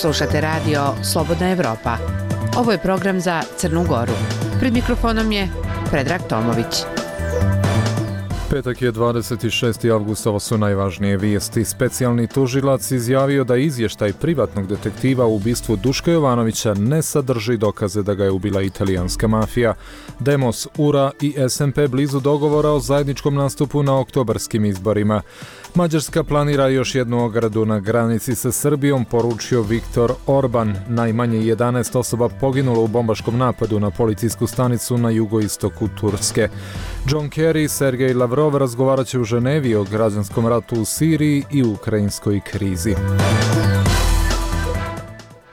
Slušate radio Slobodna Evropa. Ovo je program za Crnu Goru. Pred mikrofonom je Predrag Tomović. Petak je 26. avgust, ovo su najvažnije vijesti. Specijalni tužilac izjavio da izvještaj privatnog detektiva u ubistvu Duška Jovanovića ne sadrži dokaze da ga je ubila italijanska mafija. Demos, URA i SMP blizu dogovora o zajedničkom nastupu na oktobarskim izborima. Mađarska planira još jednu ogradu na granici sa Srbijom, poručio Viktor Orban. Najmanje 11 osoba poginulo u bombaškom napadu na policijsku stanicu na jugoistoku Turske. John Kerry i Sergej Lavrov razgovarat će u Ženevi o građanskom ratu u Siriji i ukrajinskoj krizi.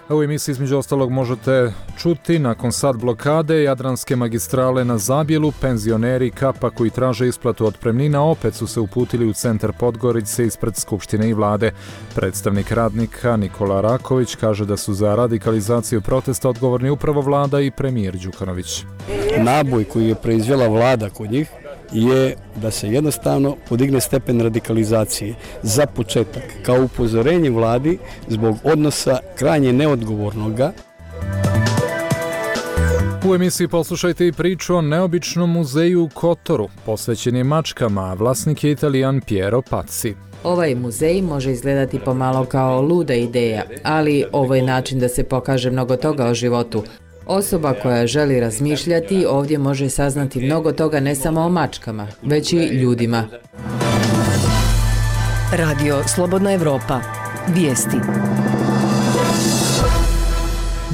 U emisiji između ostalog možete čuti, nakon sat blokade Jadranske magistrale na Zabjelu, penzioneri Kapa koji traže isplatu otpremnina opet su se uputili u centar Podgorice ispred Skupštine i vlade. Predstavnik radnika Nikola Raković kaže da su za radikalizaciju protesta odgovorni upravo vlada i premijer Đukanović. Naboj koji je proizvela vlada kod njih je da se jednostavno podigne stepen radikalizacije. Za početak, kao upozorenje vladi zbog odnosa krajnje neodgovornoga. U emisiji poslušajte i priču o neobičnom muzeju u Kotoru, posvećen je mačkama, a vlasnik je Italijan Piero Pazzi. Ovaj muzej može izgledati pomalo kao luda ideja, ali ovo je način da se pokaže mnogo toga o životu. Osoba koja želi razmišljati ovdje može saznati mnogo toga ne samo o mačkama, već i ljudima. Radio Slobodna Evropa. Vijesti.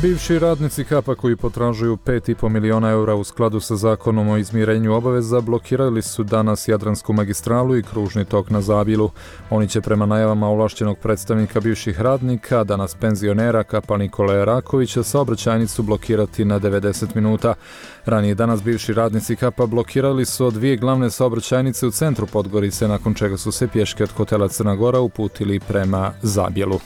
Bivši radnici Kapa koji potražuju 5,5 miliona eura u skladu sa zakonom o izmirenju obaveza blokirali su danas Jadransku magistralu i kružni tok na Zabjelu. Oni će prema najavama ovlašćenog predstavnika bivših radnika, danas penzionera Kapa Nikole Rakovića, saobraćajnicu blokirati na 90 minuta. Ranije danas bivši radnici Kapa blokirali su dvije glavne saobraćajnice u centru Podgorice, nakon čega su se pješke od hotela Crna Gora uputili prema Zabjelu.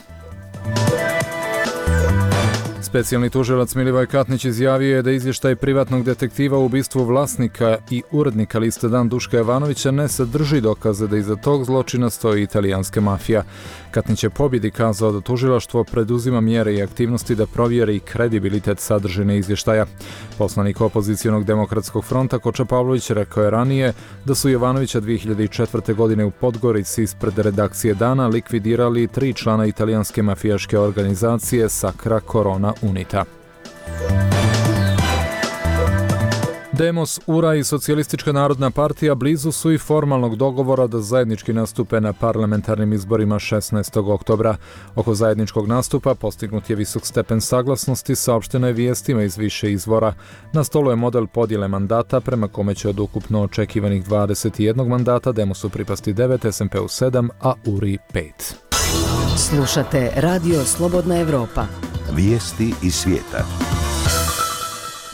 Specijalni tužilac Milivoj Katnić izjavio je da izvještaj privatnog detektiva u ubistvu vlasnika i urednika liste Dan Duška Jovanovića ne sadrži dokaze da iza tog zločina stoji italijanska mafija. Katnić je pobjedi kazao da tužilaštvo preduzima mjere i aktivnosti da provjeri kredibilitet sadržine izvještaja. Poslanik opozicionog demokratskog fronta Koča Pavlović rekao je ranije da su Jovanovića 2004. godine u Podgorici ispred redakcije Dana likvidirali 3 člana italijanske mafijaške organizacije Sacra Corona Unita. Demos, URA i Socijalistička narodna partija blizu su i formalnog dogovora da zajednički nastupe na parlamentarnim izborima 16. oktobra. Oko zajedničkog nastupa postignut je visok stepen saglasnosti, saopšteno je vijestima iz više izvora. Na stolu je model podjele mandata prema kome će od ukupno očekivanih 21 mandata Demosu pripasti 9, SMP-u 7, a URI 5. Slušate Radio Slobodna Evropa. Vijesti iz svijeta.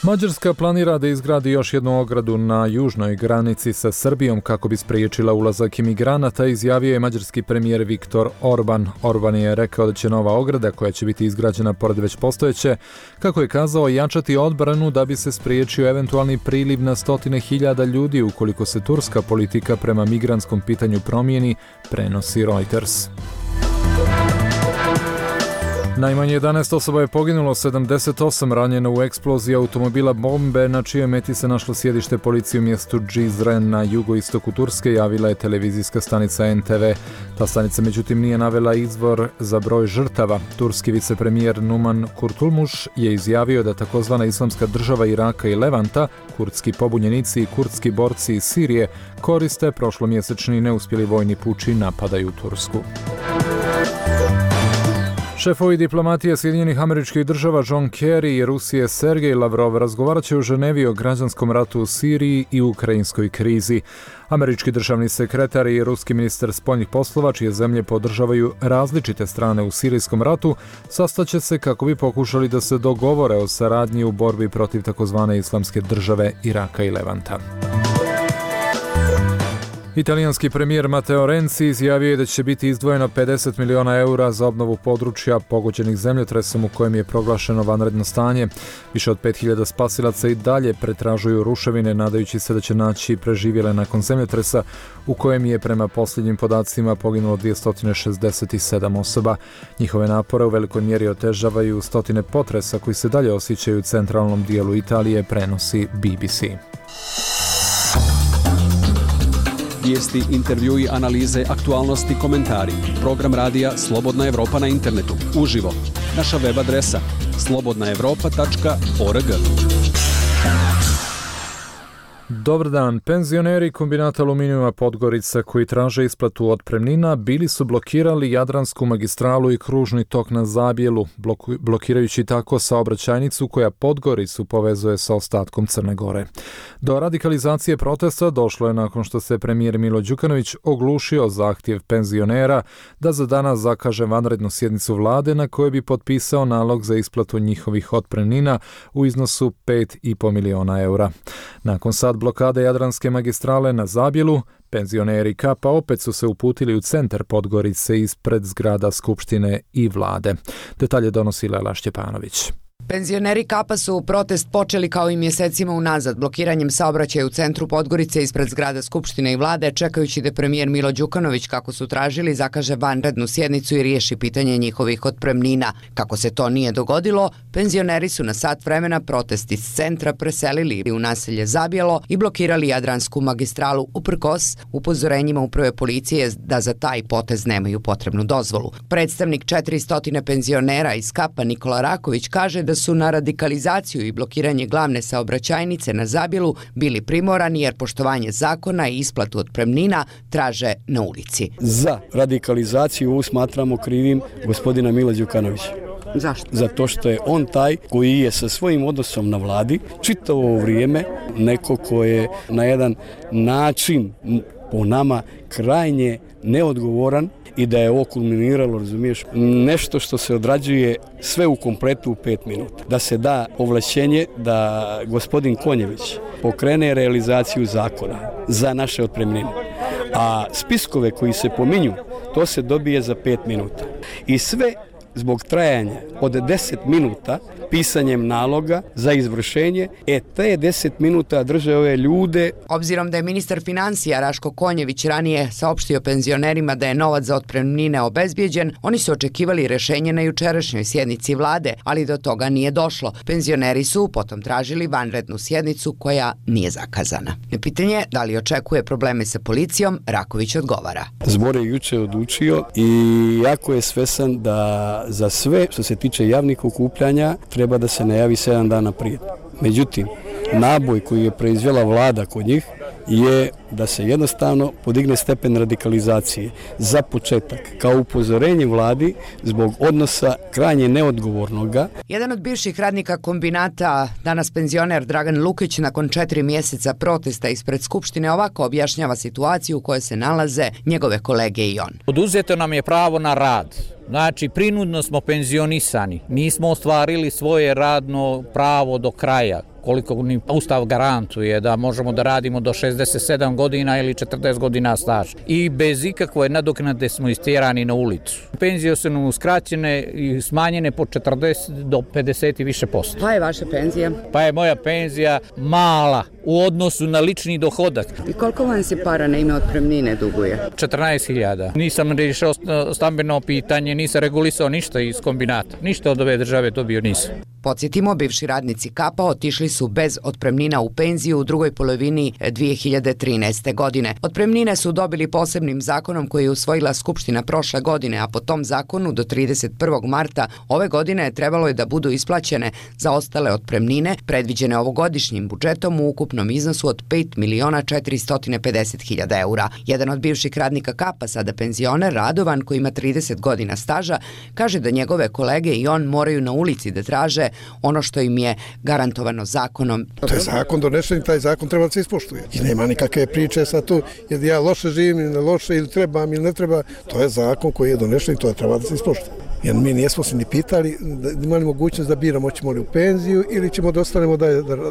Mađarska planira da izgradi još jednu ogradu na južnoj granici sa Srbijom kako bi spriječila ulazak imigranata, izjavio je mađarski premijer Viktor Orban. Orban je rekao da će nova ograda, koja će biti izgrađena pored već postojeće, kako je kazao, jačati odbranu da bi se spriječio eventualni priliv na 100.000 ljudi ukoliko se turska politika prema migrantskom pitanju promijeni, prenosi Reuters. Najmanje 11 osoba je poginulo, 78 ranjeno u eksploziji automobila bombe na čijoj meti se našlo sjedište policije u mjestu Cizre na jugoistoku Turske, javila je televizijska stanica NTV. Ta stanica međutim nije navela izvor za broj žrtava. Turski vicepremijer Numan Kurtulmuš je izjavio da takozvana Islamska država Iraka i Levanta, kurdski pobunjenici i kurdski borci iz Sirije koriste prošlomjesečni neuspjeli vojni puč i napadaju Tursku. Šefovi diplomatije Sjedinjenih Američkih Država John Kerry i Rusije Sergej Lavrov razgovarat će u Ženevi o građanskom ratu u Siriji i ukrajinskoj krizi. Američki državni sekretar i ruski ministar spoljnih poslova, čije zemlje podržavaju različite strane u sirijskom ratu, sastaće se kako bi pokušali da se dogovore o saradnji u borbi protiv takozvane Islamske države Iraka i Levanta. Italijanski premijer Matteo Renzi izjavio je da će biti izdvojeno 50 miliona eura za obnovu područja pogođenih zemljotresom u kojem je proglašeno vanredno stanje. Više od 5000 spasilaca i dalje pretražuju ruševine, nadajući se da će naći preživjele nakon zemljotresa u kojem je prema posljednjim podacima poginulo 267 osoba. Njihove napore u velikoj mjeri otežavaju stotine potresa koji se dalje osjećaju u centralnom dijelu Italije, prenosi BBC. Vijesti, intervjui, analize, aktualnosti, komentari. Program radija Slobodna Evropa na internetu. Uživo. Naša web adresa slobodnaevropa.org. Dobar dan. Penzioneri kombinata aluminijuma Podgorica koji traže isplatu otpremnina bili su blokirali Jadransku magistralu i kružni tok na Zabjelu, blokirajući tako saobraćajnicu koja Podgoricu povezuje sa ostatkom Crne Gore. Do radikalizacije protesta došlo je nakon što se premijer Milo Đukanović oglušio zahtjev penzionera da za danas zakaže vanrednu sjednicu vlade na kojoj bi potpisao nalog za isplatu njihovih otpremnina u iznosu 5,5 miliona eura. Nakon sad blokade Jadranske magistrale na Zabjelu, penzioneri Kapa opet su se uputili u centar Podgorice ispred zgrada Skupštine i vlade. Detalje donosi Lela Šćepanović. Penzioneri Kapa su protest počeli kao i mjesecima unazad, blokiranjem saobraćaja u centru Podgorice ispred zgrada Skupštine i vlade, čekajući da premijer Milo Đukanović, kako su tražili, zakaže vanrednu sjednicu i riješi pitanje njihovih otpremnina. Kako se to nije dogodilo, penzioneri su na sat vremena protest iz centra preselili u naselje Zabjelo i blokirali Jadransku magistralu uprkos upozorenjima uprave policije da za taj potez nemaju potrebnu dozvolu. Predstavnik 400 penzionera iz Kapa Nikola Raković kaže da su na radikalizaciju i blokiranje glavne saobraćajnice na Zabjelu bili primorani jer poštovanje zakona i isplatu otpremnina traže na ulici. Za radikalizaciju smatramo krivim gospodina Mila Đukanovića. Zašto? Zato što je on taj koji je sa svojim odnosom na vladi čitavo vrijeme neko ko je na jedan način po nama krajnje neodgovoran i da je ovo kulminiralo, razumiješ, nešto što se odrađuje sve u kompletu u 5 minuta. Da se da ovlašćenje da gospodin Konjević pokrene realizaciju zakona za naše otpremnine. A spiskove koji se pominju, to se dobije za 5 minuta. I sve zbog trajanja od 10 minuta pisanjem naloga za izvršenje, te 10 minuta drže ove ljude. Obzirom da je ministar financija Raško Konjević ranije saopštio penzionerima da je novac za otpremnine obezbijeđen, oni su očekivali rješenje na jučerašnjoj sjednici vlade, ali do toga nije došlo. Penzioneri su potom tražili vanrednu sjednicu koja nije zakazana. Na pitanje da li očekuje probleme sa policijom, Raković odgovara. Zbor je juče odlučio i jako je svesan da za sve što se tiče javnih okupljanja treba da se najavi 7 dana prije. Međutim, naboj koji je proizvela vlada kod njih je da se jednostavno podigne stepen radikalizacije. Za početak, kao upozorenje vladi zbog odnosa krajnje neodgovornoga. Jedan od bivših radnika kombinata, danas penzioner Dragan Lukić, nakon 4 mjeseca protesta ispred Skupštine ovako objašnjava situaciju u kojoj se nalaze njegove kolege i on. Oduzeto nam je pravo na rad. Znači, prinudno smo penzionisani. Nismo ostvarili svoje radno pravo do kraja, koliko ni Ustav garantuje da možemo da radimo do 67 godina ili 40 godina staža. I bez ikakve nadoknade smo istjerani na ulicu. Penzije su nam uskraćene i smanjene po 40 do 50 i više posto. Pa je vaša penzija? Pa je moja penzija mala u odnosu na lični dohodak. I koliko vam se para na ime otpremnine duguje? 14.000. Nisam riješio stambeno pitanje, nisam regulisao ništa iz kombinata. Ništa od ove države dobio nisam. Podsjetimo, bivši radnici Kapa otišli su bez otpremnina u penziju u drugoj polovini 2013. godine. Otpremnine su dobili posebnim zakonom koji je usvojila Skupština prošle godine, a po tom zakonu do 31. marta ove godine trebalo je da budu isplaćene za ostale otpremnine predviđene ovogodišnjim budžetom u ukupnom iznosu od 5.450.000 eura. Jedan od bivših radnika Kapa, sada penzioner Radovan, koji ima 30 godina staža, kaže da njegove kolege i on moraju na ulici da traže ono što im je garantovano zakonom. To je zakon donesen i taj zakon treba da se ispoštuje. I nema nikakve priče sa tu, jer ja loše živim ili ne loše, ili trebam ili ne treba. To je zakon koji je donesen i to treba da se ispoštuje. Jer mi nismo se ni pitali, imali mogućnost da biramo hoćemo li u penziju ili ćemo da ostanemo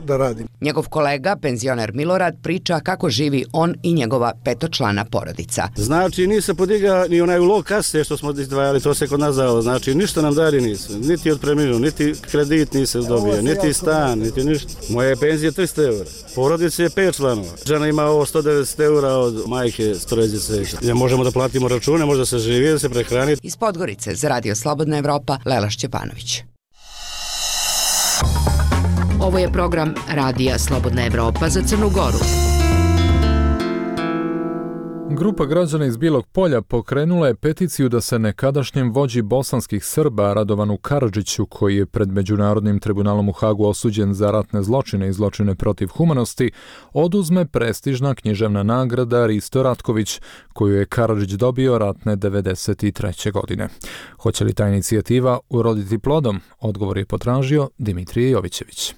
da radimo. Njegov kolega, penzioner Milorad, priča kako živi on i njegova petočlana porodica. Znači, nije se podiga ni onaj ulog kase što smo izdvajali, to se kod nas dalo. Znači, ništa nam dali nisu. Niti otpremninu, niti kredit nisi dobio, niti stan, niti ništa. Moje penzije 300 eura. Porodice je 5 članova. Žena ima ovo 190 eura od majke strojezice. Možemo da platimo račune, možda se živi, da se prehrani. Iz Podgorice za Radio Slobodna Evropa, Lela Šćepanović. Ovo je program Radija Slobodna Evropa za Crnu Goru. Grupa građana iz Bijelog Polja pokrenula je peticiju da se nekadašnjem vođi bosanskih Srba Radovanu Karadžiću, koji je pred Međunarodnim tribunalom u Hagu osuđen za ratne zločine i zločine protiv humanosti, oduzme prestižna književna nagrada Risto Ratković, koju je Karadžić dobio ratne 1993. godine. Hoće li ta inicijativa uroditi plodom? Odgovor je potražio Dimitrije Jovićević.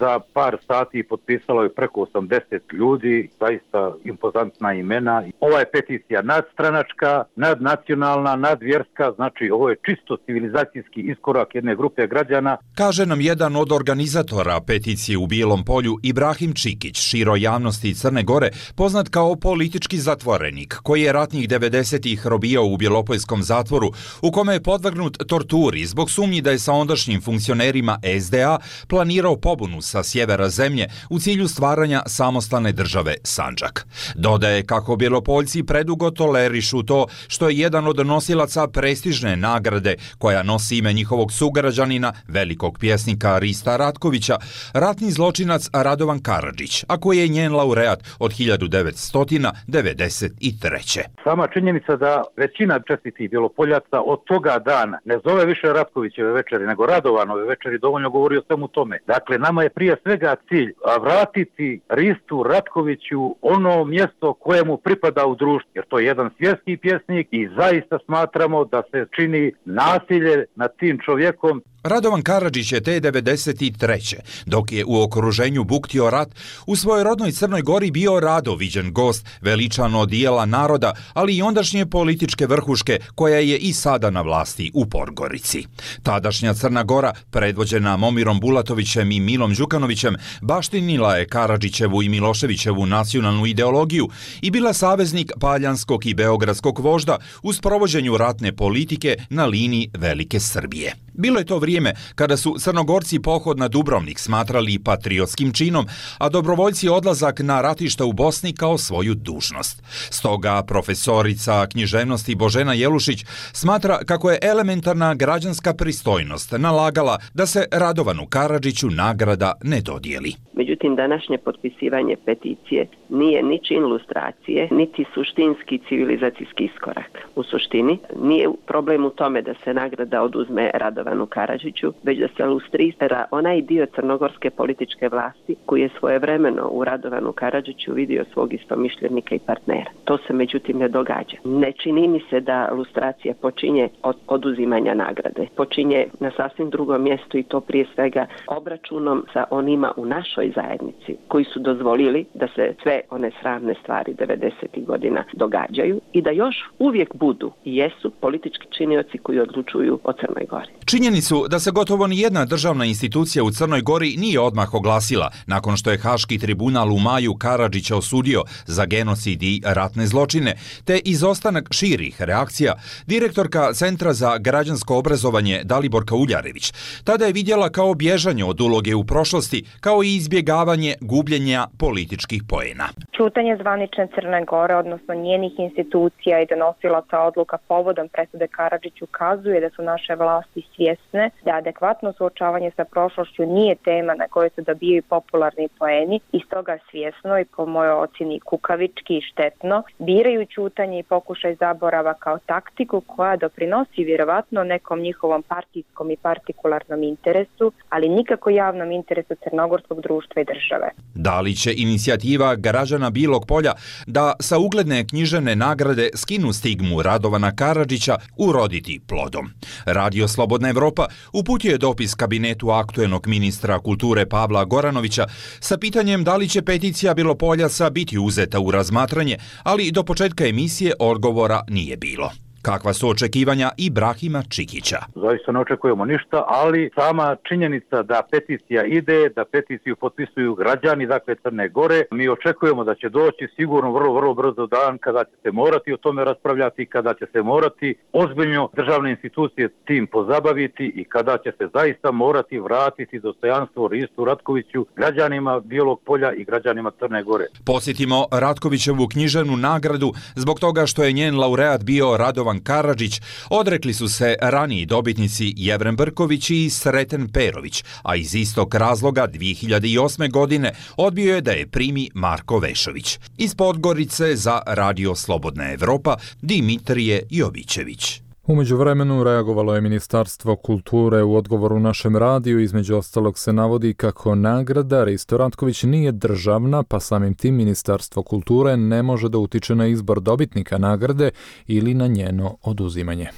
Za par sati potpisalo je preko 80 ljudi, zaista impozantna imena. Ova je peticija nadstranačka, nadnacionalna, nadvjerska, znači ovo je čisto civilizacijski iskorak jedne grupe građana. Kaže nam jedan od organizatora peticije u Bijelom Polju, Ibrahim Čikić, široj javnosti Crne Gore, poznat kao politički zatvorenik, koji je ratnih 90-ih robijao u Bjelopoljskom zatvoru, u kome je podvrgnut torturi zbog sumnji da je sa ondašnjim funkcionerima SDA planirao pobunu sa sjevera zemlje u cilju stvaranja samostalne države Sandžak. Dodaje kako Bjelopoljci predugo tolerišu to što je jedan od nosilaca prestižne nagrade koja nosi ime njihovog sugrađanina, velikog pjesnika Rista Ratkovića, ratni zločinac Radovan Karadžić, a koji je njen laureat od 1993. Sama činjenica da većina čestitih Bjelopoljaca od toga dana ne zove više Ratkovićeve večeri, nego Radovanove večeri, dovoljno govori o svemu tome. Dakle, nama je prije svega cilj vratiti Ristu Ratkoviću ono mjesto kojemu pripada u društvu, jer to je jedan svjetski pjesnik i zaista smatramo da se čini nasilje nad tim čovjekom. Radovan Karadžić je te 1993. dok je u okruženju buktio rat, u svojoj rodnoj Crnoj Gori bio rado viđen gost, veličan od dijela naroda, ali i ondašnje političke vrhuške koja je i sada na vlasti u Podgorici. Tadašnja Crna Gora, predvođena Momirom Bulatovićem i Milom Đukanovićem, baštinila je Karadžićevu i Miloševićevu nacionalnu ideologiju i bila saveznik paljanskog i beogradskog vožda u sprovođenju ratne politike na liniji Velike Srbije. Bilo je to vrijeme kada su Crnogorci pohod na Dubrovnik smatrali patriotskim činom, a dobrovoljci odlazak na ratišta u Bosni kao svoju dužnost. Stoga profesorica književnosti Božena Jelušić smatra kako je elementarna građanska pristojnost nalagala da se Radovanu Karadžiću nagrada ne dodijeli. Međutim, današnje potpisivanje peticije nije ni čin lustracije, niti suštinski civilizacijski iskorak. U suštini, nije problem u tome da se nagrada oduzme Radovanu Karadžiću, već da se lustrira onaj dio crnogorske političke vlasti koji je svojevremeno u Radovanu Karadžiću vidio svog istomišljenika i partnera. To se međutim ne događa. Ne čini mi se da lustracija počinje od oduzimanja nagrade. Počinje na sasvim drugom mjestu i to prije svega obračunom sa onima u našoj zajednici koji su dozvolili da se sve one sramne stvari 90. godina događaju i da još uvijek budu i jesu politički činioci koji odlučuju o Crnoj Gori. Činjenicu da se gotovo ni jedna državna institucija u Crnoj Gori nije odmah oglasila nakon što je Haški tribunal u maju Karadžića osudio za genocid i ratne zločine, te izostanak širih reakcija, direktorka Centra za građansko obrazovanje Daliborka Uljarević tada je vidjela kao bježanje od uloge u prošlosti, kao i izbjegavanje gubljenja političkih poena. Ćutanje zvanične Crne Gore, odnosno njenih institucija i donosilaca odluka povodom presude Karadžiću ukazuje da su naše vlasti svjesne da adekvatno suočavanje sa prošlošću nije tema na kojoj se dobijaju popularni poeni i stoga svjesno i po mojoj ocjeni kukavički i štetno biraju ćutanje i pokušaj zaborava kao taktiku koja doprinosi vjerovatno nekom njihovom partijskom i partikularnom interesu, ali nikako javnom interesu crnogorskog društva i države. Da li će inicijativa građana Bijelog Polja da sa ugledne književne nagrade skinu stigmu Radovana Karadžića uroditi plodom? Radio Slobodna Evropa uputio je dopis kabinetu aktuelnog ministra kulture Pavla Goranovića sa pitanjem da li će peticija Bjelopoljaca biti uzeta u razmatranje, ali do početka emisije odgovora nije bilo. Kakva su očekivanja Ibrahima Čikića? Zaista ne očekujemo ništa, ali sama činjenica da peticija ide, da peticiju potpisuju građani, dakle Crne Gore, mi očekujemo da će doći sigurno vrlo brzo dan kada će se morati o tome raspravljati, kada će se morati ozbiljno državne institucije tim pozabaviti i kada će se zaista morati vratiti dostojanstvo Ristu Ratkoviću, građanima Bijelog Polja i građanima Crne Gore. Posjetimo Ratkovićevu književnu nagradu zbog toga što je njen laureat bio Radovan Karadžić. Odrekli su se raniji dobitnici Jevren Brković i Sreten Perović, a iz istog razloga 2008. godine odbio je da je primi Marko Vešović. Iz Podgorice za Radio Slobodna Evropa Dimitrije Jovićević. U međuvremenu reagovalo je Ministarstvo kulture u odgovoru našem radiju. Između ostalog se navodi kako nagrada Risto Ratković nije državna, pa samim tim Ministarstvo kulture ne može da utiče na izbor dobitnika nagrade ili na njeno oduzimanje.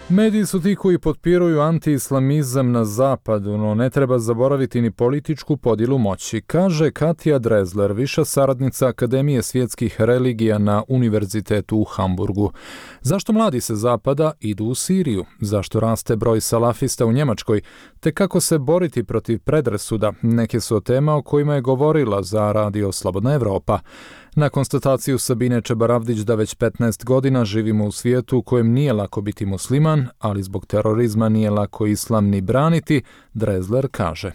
Mediji su ti koji potpiruju anti-islamizam na zapadu, no ne treba zaboraviti ni političku podjelu moći, kaže Katja Drezler, viša saradnica Akademije svjetskih religija na Univerzitetu u Hamburgu. Zašto mladi sa zapada idu u Siriju? Zašto raste broj salafista u Njemačkoj? Te kako se boriti protiv predrasuda? Neke su tema o kojima je govorila za Radio Slobodna Evropa. Na konstataciju Sabine Čebaravdić da već 15 godina živimo u svijetu u kojem nije lako biti musliman, ali zbog terorizma nije lako islam ni braniti, Drezler kaže.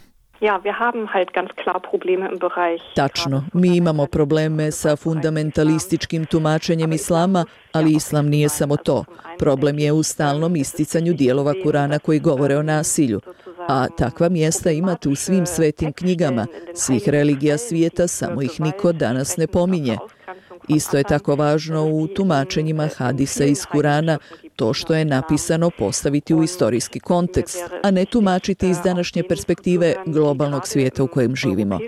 Tačno, mi imamo probleme sa fundamentalističkim tumačenjem islama, ali islam nije samo to. Problem je u stalnom isticanju dijelova Kurana koji govore o nasilju. A takva mjesta imate u svim svetim knjigama, svih religija svijeta, samo ih niko danas ne pominje. Isto je tako važno u tumačenjima hadisa iz Kurana, to što je napisano postaviti u istorijski kontekst, a ne tumačiti iz današnje perspektive globalnog svijeta u kojem živimo.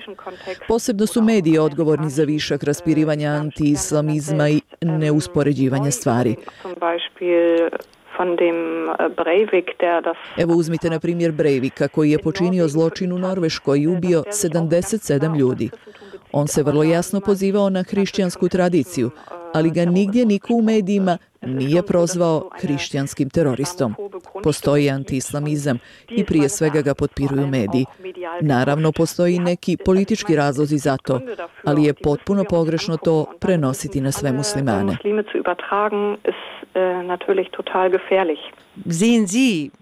Posebno su mediji odgovorni za višak raspirivanja anti-islamizma i neuspoređivanja stvari. Evo uzmite na primjer Breivika koji je počinio zločin u Norveškoj i ubio 77 ljudi. On se vrlo jasno pozivao na hrišćansku tradiciju, ali ga nigdje niko u medijima nije prozvao hrišćanskim teroristom. Postoji antiislamizam i prije svega ga potpiruju mediji. Naravno, postoji neki politički razlozi za to, ali je potpuno pogrešno to prenositi na sve muslimane.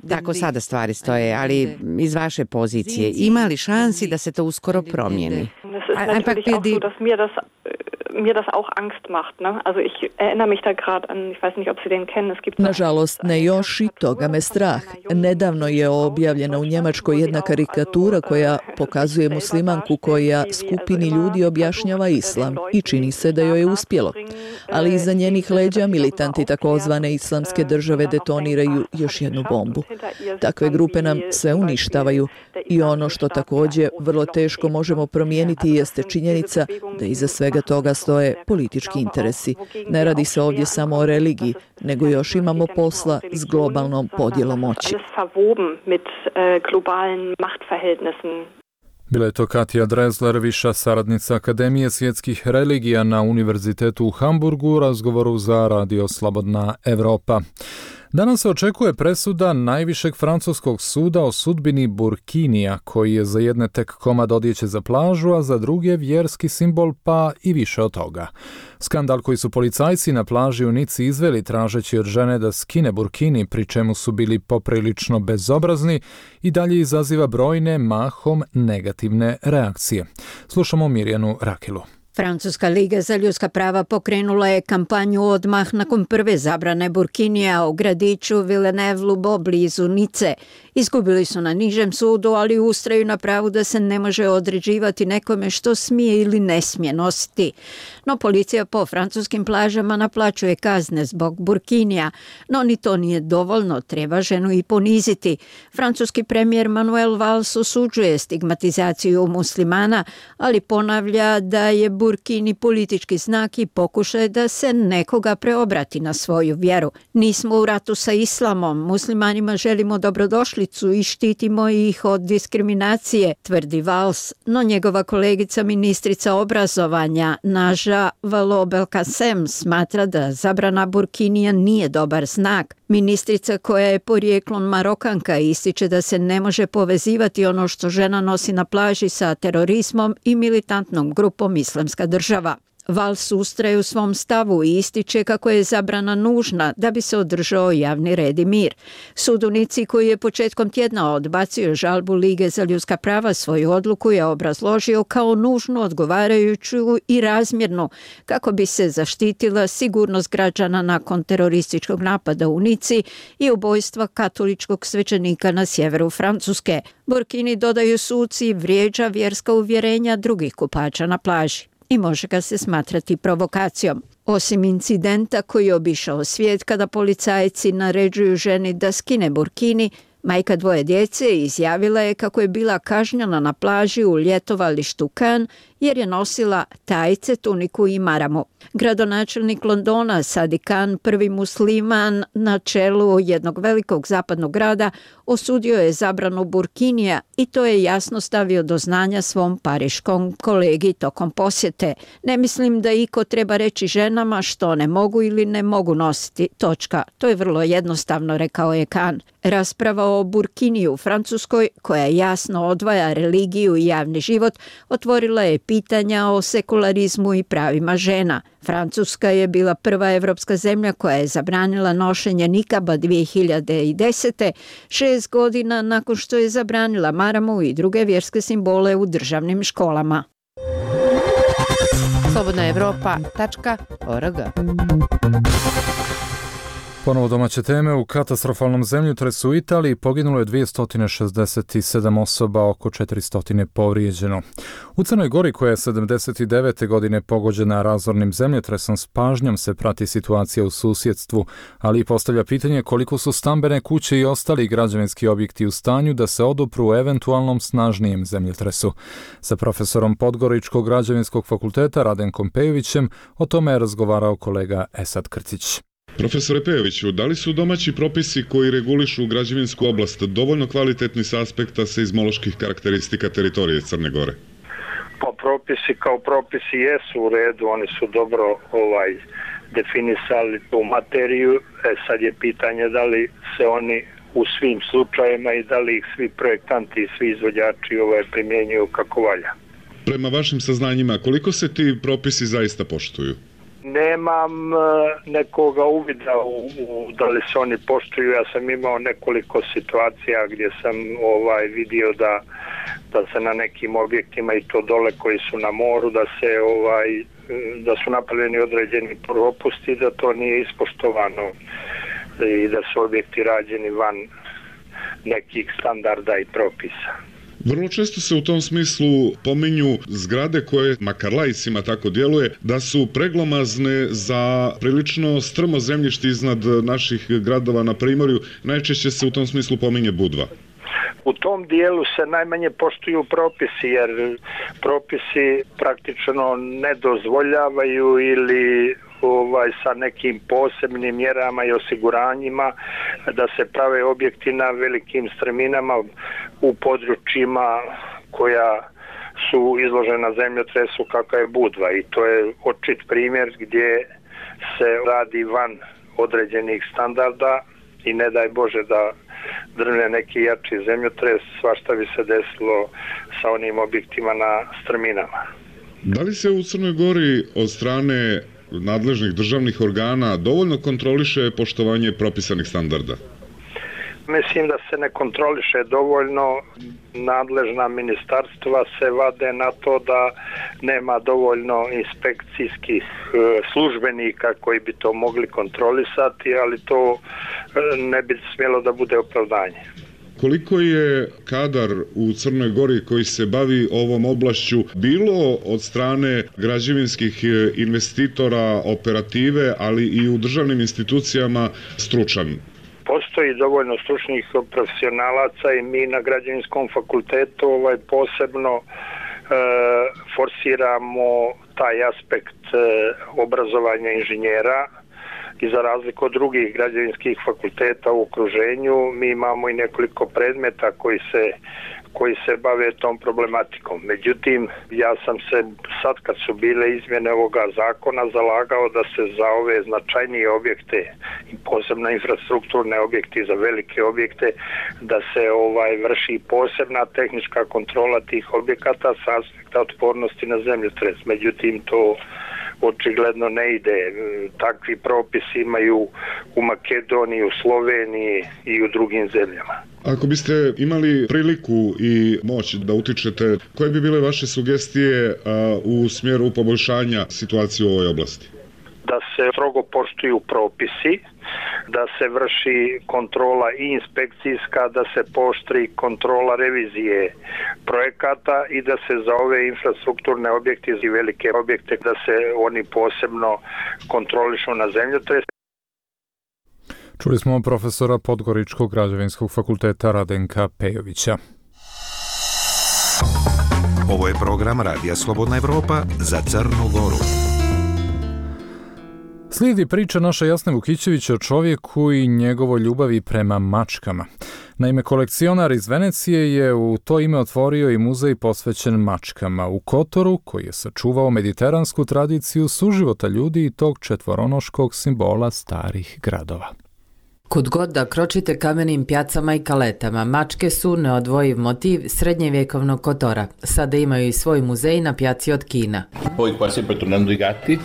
Tako sada stvari stoje, ali iz vaše pozicije, ima li šansi da se to uskoro promijeni? Nažalost, ne još i toga me strah. Nedavno je objavljena u Njemačkoj jedna karikatura koja pokazuje muslimanku koja skupini ljudi objašnjava islam i čini se da joj je uspjelo. Ali iza njenih leđa militanti takozvane islamske države detoniraju još jednu bombu. Takve grupe nam sve uništavaju i ono što također vrlo teško možemo promijeniti jeste činjenica da iza svega toga stoje politički interesi. Ne radi se ovdje samo o religiji, nego još imamo posla s globalnom podjelom moći. Bila je to Katja Drezler, viša saradnica Akademije svjetskih religija na Univerzitetu u Hamburgu u razgovoru za Radio Slobodna Evropa. Danas se očekuje presuda najvišeg francuskog suda o sudbini burkinija, koji je za jedne tek komad odjeće za plažu, a za druge vjerski simbol, pa i više od toga. Skandal koji su policajci na plaži u Nici izveli tražeći od žene da skine burkini, pri čemu su bili poprilično bezobrazni, i dalje izaziva brojne, mahom negativne reakcije. Slušamo Mirjanu Rakilu. Francuska liga za ljudska prava pokrenula je kampanju odmah nakon prve zabrane burkinija u gradiću Villeneuve-Loubet blizu Nice. Izgubili su na nižem sudu, ali ustraju na pravu da se ne može određivati nekome što smije ili ne smije nositi. No policija po francuskim plažama naplaćuje kazne zbog burkinija, no ni to nije dovoljno, treba ženu i poniziti. Francuski premijer Manuel Valls osuđuje stigmatizaciju muslimana, ali ponavlja da je burkina Burkini politički znak i pokušaj da se nekoga preobrati na svoju vjeru. Nismo u ratu sa islamom, muslimanima želimo dobrodošlicu i štitimo ih od diskriminacije, tvrdi Valls, no njegova kolegica ministrica obrazovanja Naža Vallaud-Belkacem smatra da zabrana burkinija nije dobar znak. Ministrica koja je porijeklom Marokanka ističe da se ne može povezivati ono što žena nosi na plaži sa terorizmom i militantnom grupom Islamska država. Valls ustraje u svom stavu i ističe kako je zabrana nužna da bi se održao javni red i mir. Sud u Nici, koji je početkom tjedna odbacio žalbu Lige za ljudska prava, svoju odluku je obrazložio kao nužnu, odgovarajuću i razmjernu kako bi se zaštitila sigurnost građana nakon terorističkog napada u Nici i ubojstva katoličkog svećenika na sjeveru Francuske. Burkini, dodaju suci, vrijeđa vjerska uvjerenja drugih kupača na plaži i može ga se smatrati provokacijom. Osim incidenta koji je obišao svijet kada policajci naređuju ženi da skine burkini, majka dvoje djece izjavila je kako je bila kažnjena na plaži u ljetovalištu Cannes jer je nosila tajce, tuniku i maramu. Gradonačelnik Londona Sadiq Khan, prvi musliman na čelu jednog velikog zapadnog grada, osudio je zabranu burkinija i to je jasno stavio do znanja svom pariškom kolegi tokom posjete. Ne mislim da iko treba reći ženama što ne mogu ili ne mogu nositi. Točka. To je vrlo jednostavno, rekao je Khan. Rasprava o burkiniju u Francuskoj, koja jasno odvaja religiju i javni život, otvorila je pitanja o sekularizmu i pravima žena. Francuska je bila prva evropska zemlja koja je zabranila nošenje nikaba 2010. 6 godina nakon što je zabranila maramu i druge vjerske simbole u državnim školama. slobodnaevropa.org. Ponovo domaće teme. U katastrofalnom zemljotresu u Italiji poginulo je 267 osoba, oko 400 povrijeđeno. U Crnoj Gori, koja je 79. godine pogođena razornim zemljotresom, s pažnjom se prati situacija u susjedstvu, ali i postavlja pitanje koliko su stambene kuće i ostali građevinski objekti u stanju da se odupru eventualnom snažnijem zemljotresu. Sa profesorom Podgoričkog građevinskog fakulteta Radenkom Pejovićem o tome je razgovarao kolega Esad Krcić. Profesore Pejoviću, da li su domaći propisi koji regulišu građevinsku oblast dovoljno kvalitetni s aspekta seizmoloških karakteristika teritorije Crne Gore? Pa propisi kao propisi jesu u redu, oni su dobro definisali tu materiju. Sad je pitanje da li se oni u svim slučajevima i da li ih svi projektanti i svi izvođači primjenjuju kako valja. Prema vašim saznanjima, koliko se ti propisi zaista poštuju? Nemam nekoga uvida da li se oni poštuju. Ja sam imao nekoliko situacija gdje sam vidio da se na nekim objektima i to dole koji su na moru da su napravljeni određeni propusti, da to nije ispoštovano i da su objekti rađeni van nekih standarda i propisa. Vrlo često se u tom smislu pominju zgrade koje, makar laicima tako djeluje, da su preglomazne za prilično strmo zemljište iznad naših gradova na primorju. Najčešće se u tom smislu pominje Budva. U tom dijelu se najmanje poštuju propisi, jer propisi praktično ne dozvoljavaju ili sa nekim posebnim mjerama i osiguranjima da se prave objekti na velikim strminama u područjima koja su izložena zemljotresu kakav je Budva, i to je očit primjer gdje se radi van određenih standarda i ne daj Bože da drvne neki jači zemljotres, svašta bi se desilo sa onim objektima na strminama. Da li se u Crnoj Gori od strane nadležnih državnih organa dovoljno kontroliše poštovanje propisanih standarda? Mislim da se ne kontroliše dovoljno. Nadležna ministarstva se vade na to da nema dovoljno inspekcijskih službenika koji bi to mogli kontrolisati, ali to ne bi smjelo da bude opravdanje. Koliko je kadar u Crnoj Gori koji se bavi ovom oblašću bilo od strane građevinskih investitora, operative, ali i u državnim institucijama stručan? Postoji dovoljno stručnih profesionalaca i mi na građevinskom fakultetu posebno forsiramo taj aspekt obrazovanja inženjera i za razliku od drugih građevinskih fakulteta u okruženju, mi imamo i nekoliko predmeta koji se bave tom problematikom. Međutim, ja sam se sad kad su bile izmjene ovoga zakona zalagao da se za ove značajnije objekte i posebno infrastrukturne objekte za velike objekte da se vrši posebna tehnička kontrola tih objekata sa aspekta otpornosti na zemljotres. Međutim, to očigledno ne ide. Takvi propisi imaju u Makedoniji, u Sloveniji i u drugim zemljama. Ako biste imali priliku i moć da utičete, koje bi bile vaše sugestije u smjeru poboljšanja situacije u ovoj oblasti? Da se strogo poštuju propisi, da se vrši kontrola i inspekcijska, da se pooštri kontrola revizije projekata i da se za ove infrastrukturne objekte i velike objekte da se oni posebno kontrolišu na zemljotres. Čuli smo profesora Podgoričkog građevinskog fakulteta Radenka Pejovića. Ovo je program Radija Slobodna Evropa za Crnu Goru. Slijedi priča naša Jasne Vukićevića o čovjeku i njegovoj ljubavi prema mačkama. Naime, kolekcionar iz Venecije je u to ime otvorio i muzej posvećen mačkama u Kotoru, koji je sačuvao mediteransku tradiciju suživota ljudi i tog četvoronoškog simbola starih gradova. Kud god da kročite kamenim pjacama i kaletama, mačke su neodvojiv motiv srednjevjekovnog Kotora. Sada imaju i svoj muzej na pjaci od Kina. Poi qua sempre tornando i gatti.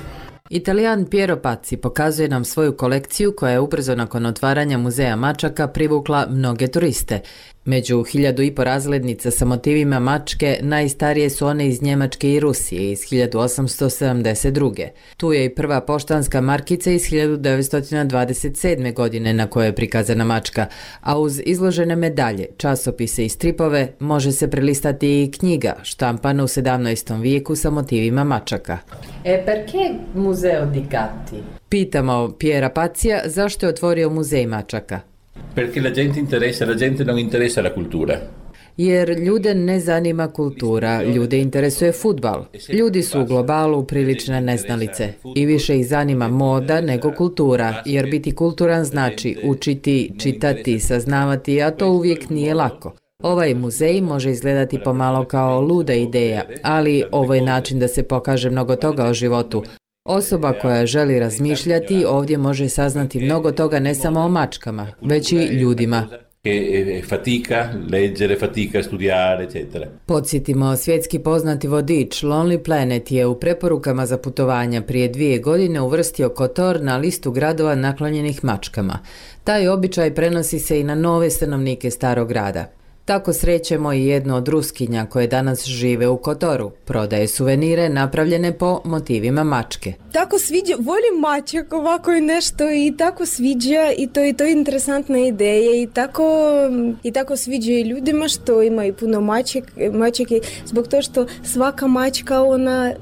Italijan Piero Pazzi pokazuje nam svoju kolekciju koja je ubrzo nakon otvaranja muzeja mačaka privukla mnoge turiste. Među 1500 razglednica sa motivima mačke najstarije su one iz Njemačke i Rusije iz 1872. Tu je i prva poštanska markica iz 1927. godine na kojoj je prikazana mačka, a uz izložene medalje, časopise i stripove može se prelistati i knjiga štampana u 17. vijeku sa motivima mačaka. Perché museo di gatti? Pitamo Piera Pazzija zašto je otvorio muzej mačaka. Perché la gente non interessa la cultura. Jer ljude ne zanima kultura, ljude interesuje fudbal. Ljudi su u globalu prilične neznalice i više ih zanima moda nego kultura, jer biti kulturan znači učiti, čitati, saznavati, a to uvijek nije lako. Ovaj muzej može izgledati pomalo kao luda ideja, ali ovo je način da se pokaže mnogo toga o životu. Osoba koja želi razmišljati ovdje može saznati mnogo toga ne samo o mačkama, već i ljudima. Fatica, leggere, fatica, studiare, eccetera. Podsjetimo, svjetski poznati vodič Lonely Planet je u preporukama za putovanja prije 2 godine uvrstio Kotor na listu gradova naklonjenih mačkama. Taj običaj prenosi se i na nove stanovnike starog grada. Tako srećemo i jednu od Ruskinja koje danas žive u Kotoru. Prodaje suvenire napravljene po motivima mačke. Tako sviđa, volim mačak, ovako je nešto i tako sviđa i to je interesantna ideja i tako sviđa i ljudima što ima i puno mačake zbog to što svaka mačka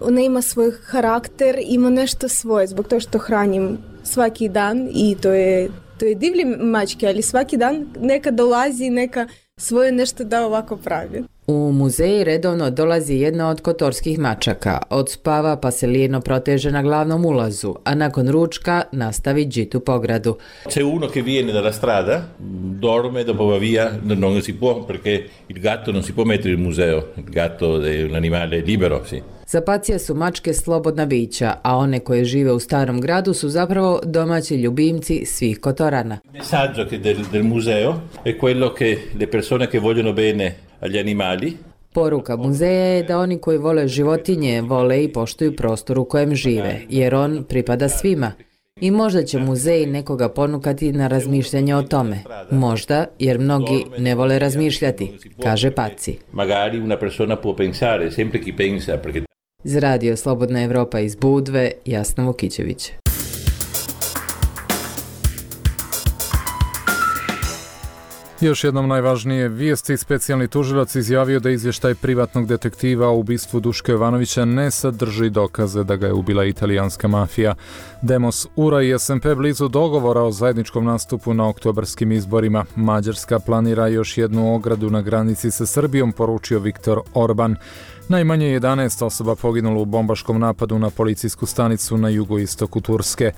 ona ima svoj karakter, ima nešto svoje, zbog to što hranim svaki dan i to je divlje mačke, ali svaki dan neka dolazi, neka svoje nešto da ovako pravi. U muzej redovno dolazi jedna od kotorskih mačaka, odspava pa se lijeno proteže na glavnom ulazu, a nakon ručka nastavi džitu po gradu. C'è uno che viene dalla strada, dorme, dopo va via, non si può perché il gatto non si può mettere in museo, il gatto è un animale libero, sì. Za Pacija su mačke slobodna bića, a one koje žive u starom gradu su zapravo domaći ljubimci svih Kotorana. Il messaggio del museo è quello che le persone che vogliono bene agli animali. Poruka muzeja je da oni koji vole životinje vole i poštuju prostor u kojem žive, jer on pripada svima. I možda će muzej nekoga ponukati na razmišljanje o tome. Možda, jer mnogi ne vole razmišljati, kaže Paci. Magari una persona può pensare, sempre chi pensa, perché... Za Radio Slobodna Evropa iz Budve, Jasna Vukićević. Još jednom najvažnije vijesti, specijalni tužilac izjavio da izvještaj privatnog detektiva o ubistvu Duška Jovanovića ne sadrži dokaze da ga je ubila italijanska mafija. Demos, URA i SMP blizu dogovora o zajedničkom nastupu na oktobarskim izborima. Mađarska planira još jednu ogradu na granici sa Srbijom, poručio Viktor Orban. Najmanje 11 osoba poginulo u bombaškom napadu na policijsku stanicu na jugoistoku Turske.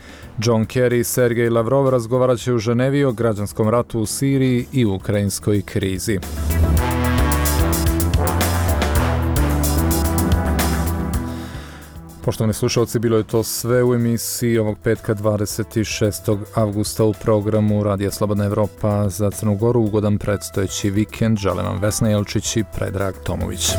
John Kerry i Sergej Lavrov razgovarat će u Ženevi o građanskom ratu u Siriji i ukrajinskoj krizi. Poštovani slušalci, bilo je to sve u emisiji ovog petka 26. avgusta u programu Radija Slobodna Evropa za Crnu Goru. Ugodan predstojeći vikend. Želim vam Vesna Jelčić i Predrag Tomović.